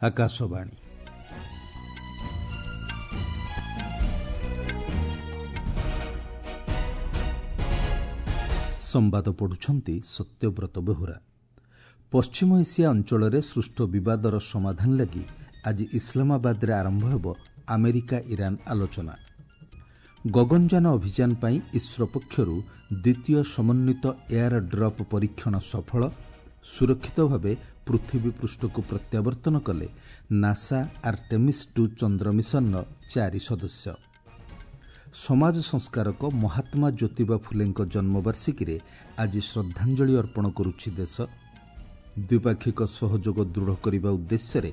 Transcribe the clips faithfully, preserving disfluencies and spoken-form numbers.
ଆକାଶବାଣୀ ସମ୍ବାଦ ପଢୁଛନ୍ତି ସତ୍ୟବ୍ରତ ବେହୁରା ପଶ୍ଚିମ ଏସିଆ ଅଞ୍ଚଳରେ ସୃଷ୍ଟ ବିବାଦର ସମାଧାନ ଲାଗି ଆଜି ଇସଲାମାବାଦରେ ଆରମ୍ଭ ହେବ ଆମେରିକା ଇରାନ ଆଲୋଚନା ଗଗନଯାନ ଅଭିଯାନ ପାଇଁ ଇସ୍ରୋ ପକ୍ଷରୁ ଦ୍ୱିତୀୟ ସମନ୍ୱିତ ଏୟାର ଡ୍ରପ୍ ପରୀକ୍ଷଣ ସଫଳ ସୁରକ୍ଷିତ ଭାବେ ପୃଥିବୀ ପୃଷ୍ଠକୁ ପ୍ରତ୍ୟାବର୍ତ୍ତନ କଲେ ନାସା ଆର୍ଟେମିସ୍ ଟୁ ଚନ୍ଦ୍ର ମିଶନର ଚାରି ସଦସ୍ୟ ସମାଜ ସଂସ୍କାରକ ମହାତ୍ମା ଜ୍ୟୋତିବା ଫୁଲେଙ୍କ ଜନ୍ମବାର୍ଷିକୀରେ ଆଜି ଶ୍ରଦ୍ଧାଞ୍ଜଳି ଅର୍ପଣ କରୁଛି ଦେଶ ଦ୍ୱିପାକ୍ଷିକ ସହଯୋଗ ଦୃଢ଼ କରିବା ଉଦ୍ଦେଶ୍ୟରେ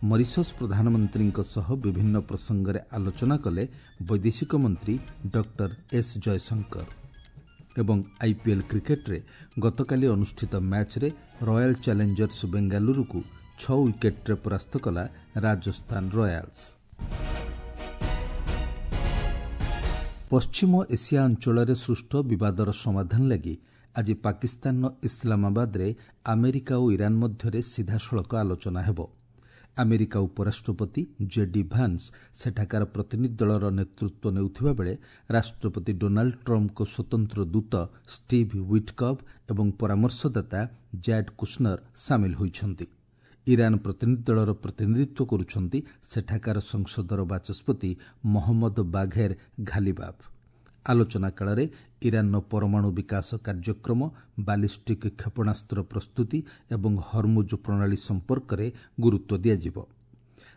ମରିସସ୍ ପ୍ରଧାନମନ୍ତ୍ରୀଙ୍କ ସହ ବିଭିନ୍ନ ପ୍ରସଙ୍ଗରେ ଆଲୋଚନା କଲେ ବୈଦେଶିକ ମନ୍ତ୍ରୀ ଡକ୍ଟର ଏସ୍ ଜୟଶଙ୍କର ଏବଂ ଆଇପିଏଲ୍ କ୍ରିକେଟ୍ରେ ଗତକାଲି ଅନୁଷ୍ଠିତ ମ୍ୟାଚ୍ରେ ରୟାଲ୍ ଚ୍ୟାଲେଞ୍ଜର୍ସ ବେଙ୍ଗାଲୁରୁକୁ ଛଅ ୱିକେଟ୍ରେ ପରାସ୍ତ କଲା ରାଜସ୍ଥାନ ରୟାଲ୍ସ ପଶ୍ଚିମ ଏସିଆ ଅଞ୍ଚଳରେ ସୃଷ୍ଟ ବିବାଦର ସମାଧାନ ଲାଗି ଆଜି ପାକିସ୍ତାନର ଇସଲାମାବାଦରେ ଆମେରିକା ଓ ଇରାନ ମଧ୍ୟରେ ସିଧାସଳଖ ଆଲୋଚନା ହେବ ଆମେରିକା ଉପରାଷ୍ଟ୍ରପତି ଜେଡି ଭାନ୍ସ ସେଠାକାର ପ୍ରତିନିଧି ଦଳର ନେତୃତ୍ୱ ନେଉଥିବା ବେଳେ ରାଷ୍ଟ୍ରପତି ଡୋନାଲ୍ଡ ଟ୍ରମ୍ପଙ୍କ ସ୍ୱତନ୍ତ୍ର ଦୂତ ଷ୍ଟିଭ୍ ୱିଟ୍କଭ୍ ଏବଂ ପରାମର୍ଶଦାତା ଜ୍ୟାଡ୍ କୁଶନର ସାମିଲ ହୋଇଛନ୍ତି ଇରାନ ପ୍ରତିନିଧି ଦଳର ପ୍ରତିନିଧିତ୍ୱ କରୁଛନ୍ତି ସେଠାକାର ସଂସଦର ବାଚସ୍ପତି ମହମ୍ମଦ ବାଘେର ଘାଲିବାଫ୍ ଆଲୋଚନା କାଳରେ ଇରାନର ପରମାଣୁ ବିକାଶ କାର୍ଯ୍ୟକ୍ରମ ବାଲିଷ୍ଟିକ୍ କ୍ଷେପଣାସ୍ତ୍ର ପ୍ରସ୍ତୁତି ଏବଂ ହରମୁଜ ପ୍ରଣାଳୀ ସମ୍ପର୍କରେ ଗୁରୁତ୍ୱ ଦିଆଯିବ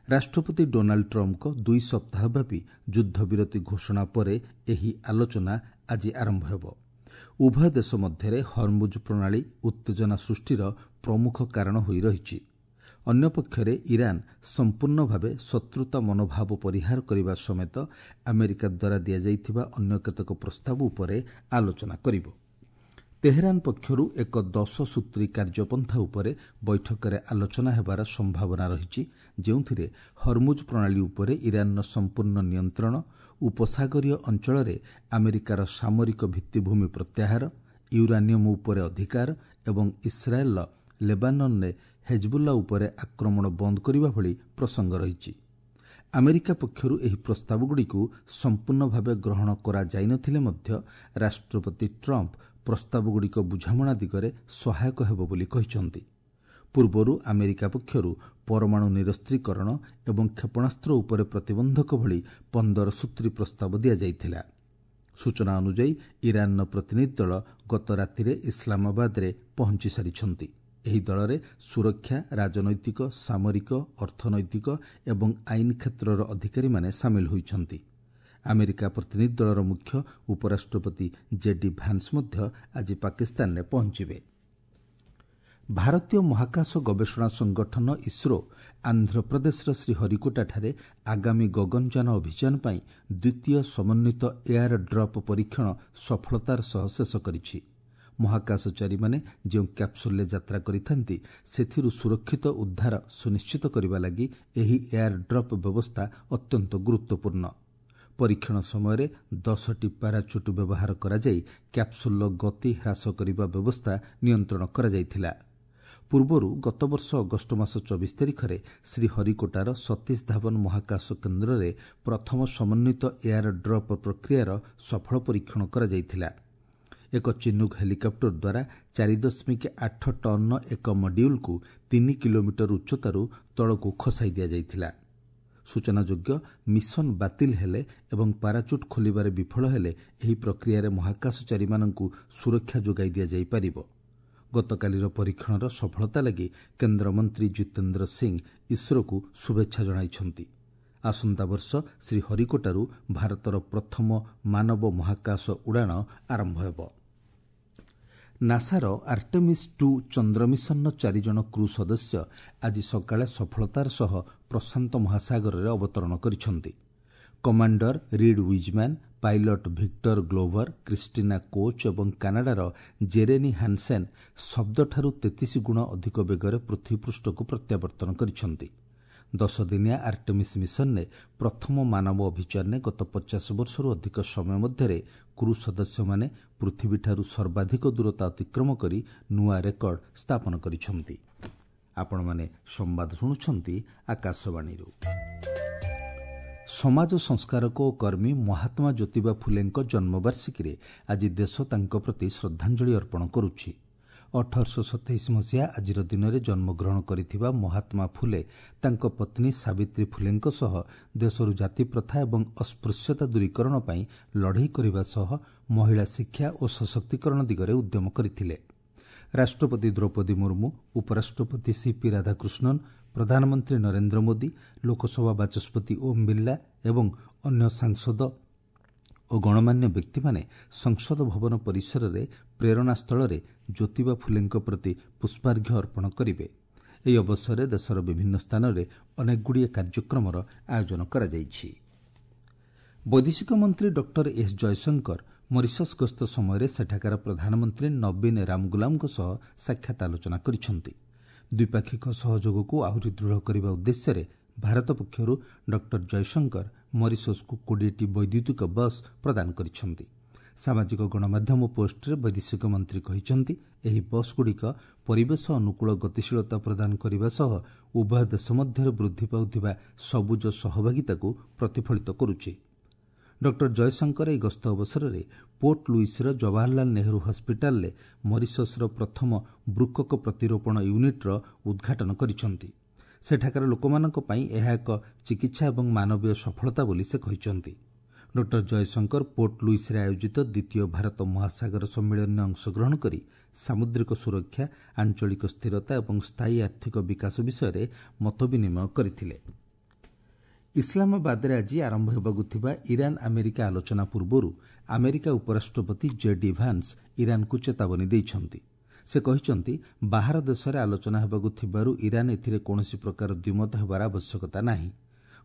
ରାଷ୍ଟ୍ରପତି ଡୋନାଲ୍ଡ ଟ୍ରମ୍ପଙ୍କ ଦୁଇ ସପ୍ତାହବ୍ୟାପୀ ଯୁଦ୍ଧବିରତି ଘୋଷଣା ପରେ ଏହି ଆଲୋଚନା ଆଜି ଆରମ୍ଭ ହେବ ଉଭୟ ଦେଶ ମଧ୍ୟରେ ହରମୁଜ ପ୍ରଣାଳୀ ଉତ୍ତେଜନା ସୃଷ୍ଟିର ପ୍ରମୁଖ କାରଣ ହୋଇ ରହିଛି ଅନ୍ୟପକ୍ଷରେ ଇରାନ ସମ୍ପୂର୍ଣ୍ଣ ଭାବେ ଶତ୍ରୁତା ମନୋଭାବ ପରିହାର କରିବା ସମେତ ଆମେରିକା ଦ୍ୱାରା ଦିଆଯାଇଥିବା ଅନ୍ୟ କେତେକ ପ୍ରସ୍ତାବ ଉପରେ ଆଲୋଚନା କରିବ ତେହେରାନ ପକ୍ଷରୁ ଏକ ଦଶ ସୂତ୍ରୀ କାର୍ଯ୍ୟପନ୍ଥା ଉପରେ ବୈଠକରେ ଆଲୋଚନା ହେବାର ସମ୍ଭାବନା ରହିଛି ଯେଉଁଥିରେ ହରମୁଜ ପ୍ରଣାଳୀ ଉପରେ ଇରାନର ସମ୍ପୂର୍ଣ୍ଣ ନିୟନ୍ତ୍ରଣ ଉପସାଗରୀୟ ଅଞ୍ଚଳରେ ଆମେରିକାର ସାମରିକ ଭିତ୍ତିଭୂମି ପ୍ରତ୍ୟାହାର ୟୁରାନିୟମ୍ ଉପରେ ଅଧିକାର ଏବଂ ଇସ୍ରାଏଲ୍ର ଲେବାନନରେ ହେଜବୁଲ୍ଲା ଉପରେ ଆକ୍ରମଣ ବନ୍ଦ କରିବା ଭଳି ପ୍ରସଙ୍ଗ ରହିଛି ଆମେରିକା ପକ୍ଷରୁ ଏହି ପ୍ରସ୍ତାବଗୁଡ଼ିକୁ ସମ୍ପୂର୍ଣ୍ଣ ଭାବେ ଗ୍ରହଣ କରାଯାଇନଥିଲେ ମଧ୍ୟ ରାଷ୍ଟ୍ରପତି ଟ୍ରମ୍ପ ପ୍ରସ୍ତାବଗୁଡ଼ିକ ବୁଝାମଣା ଦିଗରେ ସହାୟକ ହେବ ବୋଲି କହିଛନ୍ତି ପୂର୍ବରୁ ଆମେରିକା ପକ୍ଷରୁ ପରମାଣୁ ନିରସ୍ତ୍ରୀକରଣ ଏବଂ କ୍ଷେପଣାସ୍ତ୍ର ଉପରେ ପ୍ରତିବନ୍ଧକ ଭଳି ପନ୍ଦର ସୂତ୍ରୀ ପ୍ରସ୍ତାବ ଦିଆଯାଇଥିଲା ସୂଚନା ଅନୁଯାୟୀ ଇରାନର ପ୍ରତିନିଧି ଦଳ ଗତ ରାତିରେ ଇସଲାମାବାଦରେ ପହଞ୍ଚି ସାରିଛନ୍ତି ଏହି ଦଳରେ ସୁରକ୍ଷା ରାଜନୈତିକ ସାମରିକ ଅର୍ଥନୈତିକ ଏବଂ ଆଇନ କ୍ଷେତ୍ରର ଅଧିକାରୀମାନେ ସାମିଲ ହୋଇଛନ୍ତି ଆମେରିକା ପ୍ରତିନିଧି ଦଳର ମୁଖ୍ୟ ଉପରାଷ୍ଟ୍ରପତି ଜେଡି ଭାନ୍ସ ମଧ୍ୟ ଆଜି ପାକିସ୍ତାନରେ ପହଞ୍ଚିବେ ଭାରତୀୟ ମହାକାଶ ଗବେଷଣା ସଂଗଠନ ଇସ୍ରୋ ଆନ୍ଧ୍ରପ୍ରଦେଶର ଶ୍ରୀହରିକୋଟାଠାରେ ଆଗାମୀ ଗଗନଯାନ ଅଭିଯାନ ପାଇଁ ଦ୍ୱିତୀୟ ସମନ୍ୱିତ ଏୟାର ଡ୍ରପ୍ ପରୀକ୍ଷଣ ସଫଳତାର ସହ ଶେଷ କରିଛି ମହାକାଶଚାରୀମାନେ ଯେଉଁ କ୍ୟାପ୍ସୁଲରେ ଯାତ୍ରା କରିଥାନ୍ତି ସେଥିରୁ ସୁରକ୍ଷିତ ଉଦ୍ଧାର ସୁନିଶ୍ଚିତ କରିବା ଲାଗି ଏହି ଏୟାର ଡ୍ରପ୍ ବ୍ୟବସ୍ଥା ଅତ୍ୟନ୍ତ ଗୁରୁତ୍ୱପୂର୍ଣ୍ଣ ପରୀକ୍ଷଣ ସମୟରେ ଦଶଟି ପାରାଚୁଟ୍ ବ୍ୟବହାର କରାଯାଇ କ୍ୟାପ୍ସୁଲର ଗତି ହ୍ରାସ କରିବା ବ୍ୟବସ୍ଥା ନିୟନ୍ତ୍ରଣ କରାଯାଇଥିଲା ପୂର୍ବରୁ ଗତବର୍ଷ ଅଗଷ୍ଟ ମାସ ଚବିଶ ତାରିଖରେ ଶ୍ରୀହରିକୋଟାର ସତୀଶ ଧାୱନ ମହାକାଶ କେନ୍ଦ୍ରରେ ପ୍ରଥମ ସମନ୍ୱିତ ଏୟାର ଡ୍ରପ୍ ପ୍ରକ୍ରିୟାର ସଫଳ ପରୀକ୍ଷଣ କରାଯାଇଥିଲା ଏକ ଚିନୁକ୍ ହେଲିକପ୍ଟର ଦ୍ୱାରା ଚାରି ଦଶମିକ ଆଠ ଟନ୍ର ଏକ ମଡ୍ୟୁଲ୍କୁ ତିନି କିଲୋମିଟର ଉଚ୍ଚତାରୁ ତଳକୁ ଖସାଇ ଦିଆଯାଇଥିଲା ସୂଚନାଯୋଗ୍ୟ ମିଶନ ବାତିଲ ହେଲେ ଏବଂ ପାରାଚୁଟ୍ ଖୋଲିବାରେ ବିଫଳ ହେଲେ ଏହି ପ୍ରକ୍ରିୟାରେ ମହାକାଶଚାରୀମାନଙ୍କୁ ସୁରକ୍ଷା ଯୋଗାଇ ଦିଆଯାଇପାରିବ ଗତକାଲିର ପରୀକ୍ଷଣର ସଫଳତା ଲାଗି କେନ୍ଦ୍ରମନ୍ତ୍ରୀ ଜିତେନ୍ଦ୍ର ସିଂ ଇସ୍ରୋକୁ ଶୁଭେଚ୍ଛା ଜଣାଇଛନ୍ତି ଆସନ୍ତା ବର୍ଷ ଶ୍ରୀହରିକୋଟାରୁ ଭାରତର ପ୍ରଥମ ମାନବ ମହାକାଶ ଉଡ଼ାଣ ଆରମ୍ଭ ହେବ ନାସାର ଆର୍ଟେମିସ୍ ଟୁ ଚନ୍ଦ୍ର ମିଶନର ଚାରିଜଣ କ୍ରୁ ସଦସ୍ୟ ଆଜି ସକାଳେ ସଫଳତାର ସହ ପ୍ରଶାନ୍ତ ମହାସାଗରରେ ଅବତରଣ କରିଛନ୍ତି commander Reid Wiseman pilot Victor Glover Christina Koch ଏବଂ କାନାଡାର ଜେରେନି ହାନସେନ୍ ଶବ୍ଦଠାରୁ ତେତିଶ ଗୁଣ ଅଧିକ ବେଗରେ ପୃଥିବୀପୃଷ୍ଠକୁ ପ୍ରତ୍ୟାବର୍ତ୍ତନ କରିଛନ୍ତି ଦଶଦିନିଆ ଆର୍ଟେମିସ୍ ମିଶନରେ ପ୍ରଥମ ମାନବ ଅଭିଯାନରେ ଗତ ପଚାଶ ବର୍ଷରୁ ଅଧିକ ସମୟ ମଧ୍ୟରେ କ୍ରୁ ସଦସ୍ୟମାନେ ପୃଥିବୀଠାରୁ ସର୍ବାଧିକ ଦୂରତା ଅତିକ୍ରମ କରି ନୂଆ ରେକର୍ଡ ସ୍ଥାପନ କରିଛନ୍ତି ଆପଣମାନେ ସମ୍ବାଦ ଶୁଣୁଛନ୍ତି ଆକାଶବାଣୀରୁ। ସମାଜ ସଂସ୍କାରକ ଓ କର୍ମୀ ମହାତ୍ମା ଜ୍ୟୋତିବା ଫୁଲେଙ୍କ ଜନ୍ମବାର୍ଷିକୀରେ ଆଜି ଦେଶ ତାଙ୍କ ପ୍ରତି ଶ୍ରଦ୍ଧାଞ୍ଜଳି ଅର୍ପଣ କରୁଛି। ଅଠରଶହ ସତେଇଶ ମସିହା ଆଜିର ଦିନରେ ଜନ୍ମଗ୍ରହଣ କରିଥିବା ମହାତ୍ମା ଫୁଲେ ତାଙ୍କ ପତ୍ନୀ ସାବିତ୍ରୀ ଫୁଲେଙ୍କ ସହ ଦେଶରୁ ଜାତିପ୍ରଥା ଏବଂ ଅସ୍ପୃଶ୍ୟତା ଦୂରୀକରଣ ପାଇଁ ଲଢ଼େଇ କରିବା ସହ ମହିଳା ଶିକ୍ଷା ଓ ସଶକ୍ତିକରଣ ଦିଗରେ ଉଦ୍ୟମ କରିଥିଲେ। ରାଷ୍ଟ୍ରପତି ଦ୍ରୌପଦୀ ମୁର୍ମୁ, ଉପରାଷ୍ଟ୍ରପତି ସିପି ରାଧାକୃଷ୍ଣନ, ପ୍ରଧାନମନ୍ତ୍ରୀ ନରେନ୍ଦ୍ର ମୋଦି, ଲୋକସଭା ବାଚସ୍ପତି ଓମ୍ ବିର୍ଲା ଏବଂ ଅନ୍ୟ ସାଂସଦ ଓ ଗଣମାନ୍ୟ ବ୍ୟକ୍ତିମାନେ ସଂସଦ ଭବନ ପରିସରରେ ପ୍ରେରଣାସ୍ଥଳରେ ଜ୍ୟୋତିବା ଫୁଲେଙ୍କ ପ୍ରତି ପୁଷ୍ପାର୍ଘ୍ୟ ଅର୍ପଣ କରିବେ। ଏହି ଅବସରରେ ଦେଶର ବିଭିନ୍ନ ସ୍ଥାନରେ ଅନେକଗୁଡ଼ିଏ କାର୍ଯ୍ୟକ୍ରମର ଆୟୋଜନ କରାଯାଇଛି। ବୈଦେଶିକ ମନ୍ତ୍ରୀ ଡକ୍ଟର ଏସ୍ ଜୟଶଙ୍କର ମରିସସ୍ ଗସ୍ତ ସମୟରେ ସେଠାକାର ପ୍ରଧାନମନ୍ତ୍ରୀ ନବୀନ ରାମଗୁଲାମଙ୍କ ସହ ସାକ୍ଷାତ ଆଲୋଚନା କରିଛନ୍ତି। ଦ୍ୱିପାକ୍ଷିକ ସହଯୋଗକୁ ଆହୁରି ଦୃଢ଼ କରିବା ଉଦ୍ଦେଶ୍ୟରେ ଭାରତ ପକ୍ଷରୁ ଡକ୍ଟର ଜୟଶଙ୍କର ମରିସସ୍କୁ କୋଡ଼ିଏଟି ବୈଦ୍ୟୁତିକ ବସ୍ ପ୍ରଦାନ କରିଛନ୍ତି। ସାମାଜିକ ଗଣମାଧ୍ୟମ ପୋଷ୍ଟରେ ବୈଦେଶିକ ମନ୍ତ୍ରୀ କହିଛନ୍ତି, ଏହି ବସ୍ଗୁଡ଼ିକ ପରିବେଶ ଅନୁକୂଳ ଗତିଶୀଳତା ପ୍ରଦାନ କରିବା ସହ ଉଭୟ ଦେଶ ମଧ୍ୟରେ ବୃଦ୍ଧି ପାଉଥିବା ସବୁଜ ସହଭାଗିତାକୁ ପ୍ରତିଫଳିତ କରୁଛି। ଡକ୍ଟର ଜୟଶଙ୍କର ଏହି ଗସ୍ତ ଅବସରରେ ପୋର୍ଟ ଲୁଇସ୍ର ଜବାହରଲାଲ ନେହେରୁ ହସ୍ପିଟାଲରେ ମରିସସ୍ର ପ୍ରଥମ ବୃକକ ପ୍ରତିରୋପଣ ୟୁନିଟ୍ର ଉଦ୍ଘାଟନ କରିଛନ୍ତି। ସେଠାକାର ଲୋକମାନଙ୍କ ପାଇଁ ଏହା ଏକ ଚିକିତ୍ସା ଏବଂ ମାନବୀୟ ସଫଳତା ବୋଲି ସେ କହିଛନ୍ତି। ଡକ୍ଟର ଜୟଶଙ୍କର ପୋର୍ଟ ଲୁଇସ୍ରେ ଆୟୋଜିତ ଦ୍ୱିତୀୟ ଭାରତ ମହାସାଗର ସମ୍ମିଳନୀରେ ଅଂଶଗ୍ରହଣ କରି ସାମୁଦ୍ରିକ ସୁରକ୍ଷା, ଆଞ୍ଚଳିକ ସ୍ଥିରତା ଏବଂ ସ୍ଥାୟୀ ଆର୍ଥିକ ବିକାଶ ବିଷୟରେ ମତବିନିମୟ କରିଥିଲେ। ଇସଲାମାବାଦରେ ଆଜି ଆରମ୍ଭ ହେବାକୁ ଥିବା ଇରାନ୍ ଆମେରିକା ଆଲୋଚନା ପୂର୍ବରୁ ଆମେରିକା ଉପରାଷ୍ଟ୍ରପତି ଜେ ଡି ଭାନ୍ସ ଇରାନ୍କୁ ଚେତାବନୀ ଦେଇଛନ୍ତି। ସେ କହିଛନ୍ତି, ବାହାର ଦେଶରେ ଆଲୋଚନା ହେବାକୁ ଥିବାରୁ ଇରାନ୍ ଏଥିରେ କୌଣସି ପ୍ରକାର ଦ୍ୱିମତ ହେବାର ଆବଶ୍ୟକତା ନାହିଁ।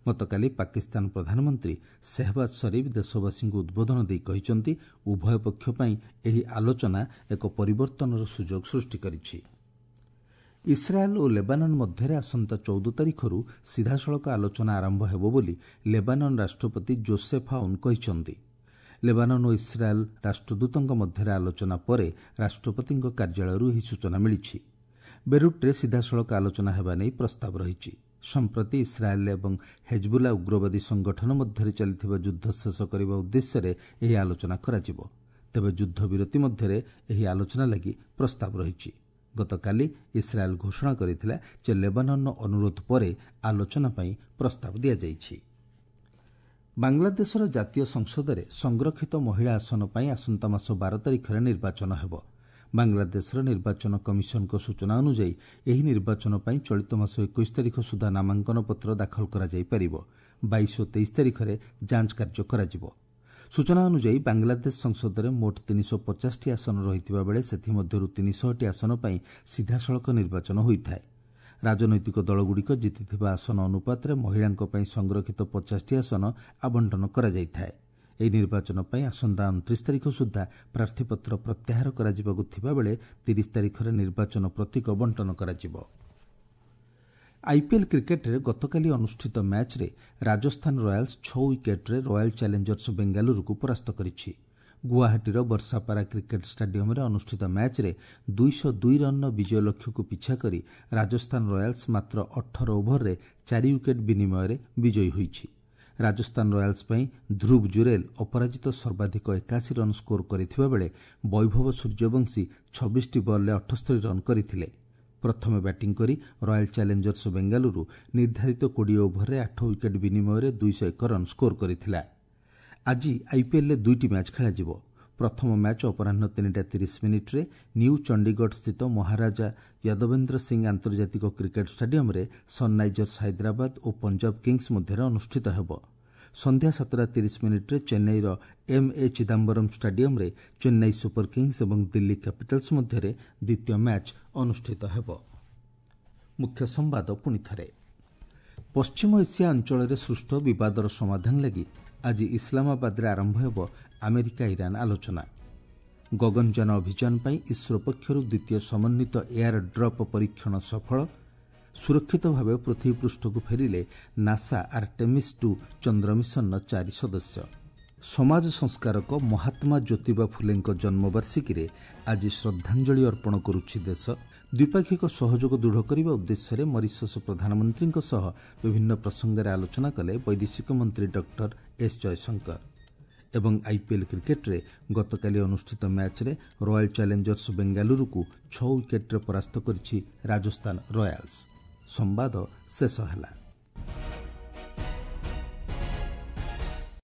ଗତକାଲି ପାକିସ୍ତାନ ପ୍ରଧାନମନ୍ତ୍ରୀ ସେହବାଜ ସରିଫ ଦେଶବାସୀଙ୍କୁ ଉଦ୍ବୋଧନ ଦେଇ କହିଛନ୍ତି, ଉଭୟ ପକ୍ଷ ପାଇଁ ଏହି ଆଲୋଚନା ଏକ ପରିବର୍ତ୍ତନର ସୁଯୋଗ ସୃଷ୍ଟି କରିଛି। ଇସ୍ରାଏଲ୍ ଓ ଲେବାନନ୍ ମଧ୍ୟରେ ଆସନ୍ତା ଚଉଦ ତାରିଖରୁ ସିଧାସଳଖ ଆଲୋଚନା ଆରମ୍ଭ ହେବ ବୋଲି ଲେବାନନ୍ ରାଷ୍ଟ୍ରପତି ଜୋସେଫ୍ ଆଉନ୍ କହିଛନ୍ତି। ଲେବାନନ୍ ଓ ଇସ୍ରାଏଲ୍ ରାଷ୍ଟ୍ରଦୂତଙ୍କ ମଧ୍ୟରେ ଆଲୋଚନା ପରେ ରାଷ୍ଟ୍ରପତିଙ୍କ କାର୍ଯ୍ୟାଳୟରୁ ଏହି ସୂଚନା ମିଳିଛି। ବେରୁଟ୍ରେ ସିଧାସଳଖ ଆଲୋଚନା ହେବା ନେଇ ପ୍ରସ୍ତାବ ରହିଛି। ସମ୍ପ୍ରତି ଇସ୍ରାଏଲ୍ ଏବଂ ହେଜବୁଲା ଉଗ୍ରବାଦୀ ସଂଗଠନ ମଧ୍ୟରେ ଚାଲିଥିବା ଯୁଦ୍ଧ ଶେଷ କରିବା ଉଦ୍ଦେଶ୍ୟରେ ଏହି ଆଲୋଚନା କରାଯିବ। ତେବେ ଯୁଦ୍ଧବିରତି ମଧ୍ୟରେ ଏହି ଆଲୋଚନା ଲାଗି ପ୍ରସ୍ତାବ ରହିଛି। ଗତକାଲି ଇସ୍ରାଏଲ୍ ଘୋଷଣା କରିଥିଲା ଯେ ଲେବାନନ୍ର ଅନୁରୋଧ ପରେ ଆଲୋଚନା ପାଇଁ ପ୍ରସ୍ତାବ ଦିଆଯାଇଛି। ବାଂଲାଦେଶର ଜାତୀୟ ସଂସଦରେ ସଂରକ୍ଷିତ ମହିଳା ଆସନ ପାଇଁ ଆସନ୍ତା ମାସ ବାର ତାରିଖରେ ନିର୍ବାଚନ ହେବ। ବାଂଲାଦେଶର ନିର୍ବାଚନ କମିଶନଙ୍କ ସୂଚନା ଅନୁଯାୟୀ ଏହି ନିର୍ବାଚନ ପାଇଁ ଚଳିତ ମାସ ଏକୋଇଶ ତାରିଖ ସୁଦ୍ଧା ନାମାଙ୍କନ ପତ୍ର ଦାଖଲ କରାଯାଇପାରିବ। ବାଇଶ ଓ ତେଇଶ ତାରିଖରେ ଯାଞ୍ଚ କାର୍ଯ୍ୟ କରାଯିବ। ସୂଚନା ଅନୁଯାୟୀ ବାଂଲାଦେଶ ସଂସଦରେ ମୋଟ ତିନିଶହ ପଚାଶଟି ଆସନ ରହିଥିବା ବେଳେ ସେଥିମଧ୍ୟରୁ ତିନିଶହଟି ଆସନ ପାଇଁ ସିଧାସଳଖ ନିର୍ବାଚନ ହୋଇଥାଏ। ରାଜନୈତିକ ଦଳଗୁଡ଼ିକ ଜିତିଥିବା ଆସନ ଅନୁପାତରେ ମହିଳାଙ୍କ ପାଇଁ ସଂରକ୍ଷିତ ପଚାଶଟି ଆସନ ଆବଣ୍ଟନ କରାଯାଇଥାଏ। ଏହି ନିର୍ବାଚନ ପାଇଁ ଆସନ୍ତା ଅଣତିରିଶ ତାରିଖ ସୁଦ୍ଧା ପ୍ରାର୍ଥୀପତ୍ର ପ୍ରତ୍ୟାହାର କରାଯିବାକୁ ଥିବାବେଳେ ତିରିଶ ତାରିଖରେ ନିର୍ବାଚନ ପ୍ରତୀକ ବଣ୍ଟନ କରାଯିବ। ଆଇପିଏଲ୍ କ୍ରିକେଟ୍ରେ ଗତକାଲି ଅନୁଷ୍ଠିତ ମ୍ୟାଚ୍ରେ ରାଜସ୍ଥାନ ରୟାଲ୍ସ ଛଅ ୱିକେଟ୍ରେ ରୟାଲ୍ ଚ୍ୟାଲେଞ୍ଜର୍ସ ବେଙ୍ଗାଲୁରୁକୁ ପରାସ୍ତ କରିଛି। ଗୁଆହାଟୀର ବର୍ଷାପାରା କ୍ରିକେଟ୍ ଷ୍ଟାଡିୟମ୍ରେ ଅନୁଷ୍ଠିତ ମ୍ୟାଚ୍ରେ ଦୁଇଶହ ଦୁଇ ରନ୍ର ବିଜୟ ଲକ୍ଷ୍ୟକୁ ପିଛା କରି ରାଜସ୍ଥାନ ରୟାଲ୍ସ ମାତ୍ର ଅଠର ଓଭରରେ ଚାରି ୱିକେଟ୍ ବିନିମୟରେ ବିଜୟୀ ହୋଇଛି। ରାଜସ୍ଥାନ ରୟାଲ୍ସ ପାଇଁ ଧ୍ରୁବ ଜୁରେଲ୍ ଅପରାଜିତ ସର୍ବାଧିକ ଏକାଅଶୀ ରନ୍ ସ୍କୋର କରିଥିବା ବେଳେ ବୈଭବ ସୂର୍ଯ୍ୟବଂଶୀ ଛବିଶଟି ବଲ୍ରେ ଅଠସ୍ତରୀ ରନ୍ କରିଥିଲେ। ପ୍ରଥମେ ବ୍ୟାଟିଂ କରି ରୟାଲ୍ ଚ୍ୟାଲେଞ୍ଜର୍ସ ବେଙ୍ଗାଲୁରୁ ନିର୍ଦ୍ଧାରିତ କୋଡ଼ିଏ ଓଭରରେ ଆଠ ୱିକେଟ୍ ବିନିମୟରେ ଦୁଇଶହ ଏକ ରନ୍ ସ୍କୋର କରିଥିଲା। ଆଜି ଆଇପିଏଲ୍ରେ ଦୁଇଟି ମ୍ୟାଚ୍ ଖେଳାଯିବ। ପ୍ରଥମ ମ୍ୟାଚ୍ ଅପରାହ୍ନ ତିନିଟା ତିରିଶ ମିନିଟ୍ରେ ନ୍ୟୁ ଚଣ୍ଡିଗଡ଼ସ୍ଥିତ ମହାରାଜା ୟାଦବେନ୍ଦ୍ର ସିଂ ଆନ୍ତର୍ଜାତିକ କ୍ରିକେଟ୍ ଷ୍ଟାଡିୟମ୍ରେ ସନ୍ରାଇଜର୍ସ ହାଇଦ୍ରାବାଦ ଓ ପଞ୍ଜାବ କିଙ୍ଗସ୍ ମଧ୍ୟରେ ଅନୁଷ୍ଠିତ ହେବ। ସନ୍ଧ୍ୟା ସାତଟା ତିରିଶ ମିନିଟ୍ରେ ଚେନ୍ନାଇର ଏମ୍ ଏ ଚିଦାମ୍ବରମ୍ ଷ୍ଟାଡିୟମ୍ରେ ଚେନ୍ନାଇ ସୁପର କିଙ୍ଗସ୍ ଏବଂ ଦିଲ୍ଲୀ କ୍ୟାପିଟାଲ୍ସ ମଧ୍ୟରେ ଦ୍ୱିତୀୟ ମ୍ୟାଚ୍ ଅନୁଷ୍ଠିତ ହେବ। ମୁଖ୍ୟ ସମ୍ବାଦ ପୁଣିଥରେ। ପଶ୍ଚିମ ଏସିଆ ଅଞ୍ଚଳରେ ସୃଷ୍ଟ ବିବାଦର ସମାଧାନ ଲାଗି ଆଜି ଇସଲାମାବାଦରେ ଆରମ୍ଭ ହେବ ଆମେରିକା ଇରାନ୍ ଆଲୋଚନା। ଗଗନଯାନ ଅଭିଯାନ ପାଇଁ ଇସ୍ରୋ ପକ୍ଷରୁ ଦ୍ୱିତୀୟ ସମନ୍ୱିତ ଏୟାର ଡ୍ରପ୍ ପରୀକ୍ଷଣ ସଫଳ। ସୁରକ୍ଷିତ ଭାବେ ପୃଥିବୀପୃଷ୍ଠକୁ ଫେରିଲେ ନାସା ଆର୍ଟେମିସ୍ ଟୁ ଚନ୍ଦ୍ର ମିଶନର ଚାରି ସଦସ୍ୟ। ସମାଜ ସଂସ୍କାରକ ମହାତ୍ମା ଜ୍ୟୋତିବା ଫୁଲେଙ୍କ ଜନ୍ମବାର୍ଷିକୀରେ ଆଜି ଶ୍ରଦ୍ଧାଞ୍ଜଳି ଅର୍ପଣ କରୁଛି ଦେଶ। ଦ୍ୱିପାକ୍ଷିକ ସହଯୋଗ ଦୃଢ଼ କରିବା ଉଦ୍ଦେଶ୍ୟରେ ମରିସସ୍ ପ୍ରଧାନମନ୍ତ୍ରୀଙ୍କ ସହ ବିଭିନ୍ନ ପ୍ରସଙ୍ଗରେ ଆଲୋଚନା କଲେ ବୈଦେଶିକ ମନ୍ତ୍ରୀ ଡକ୍ଟର ଏସ୍ ଜୟଶଙ୍କର। ଏବଂ ଆଇପିଏଲ୍ କ୍ରିକେଟ୍ରେ ଗତକାଲି ଅନୁଷ୍ଠିତ ମ୍ୟାଚ୍ରେ ରୟାଲ୍ ଚ୍ୟାଲେଞ୍ଜର୍ସ ବେଙ୍ଗାଲୁରୁକୁ ଛଅ ୱିକେଟ୍ରେ ପରାସ୍ତ କରିଛି ରାଜସ୍ଥାନ ରୟାଲ୍ସ। ସମ୍ବାଦ ଶେଷ ହେଲା।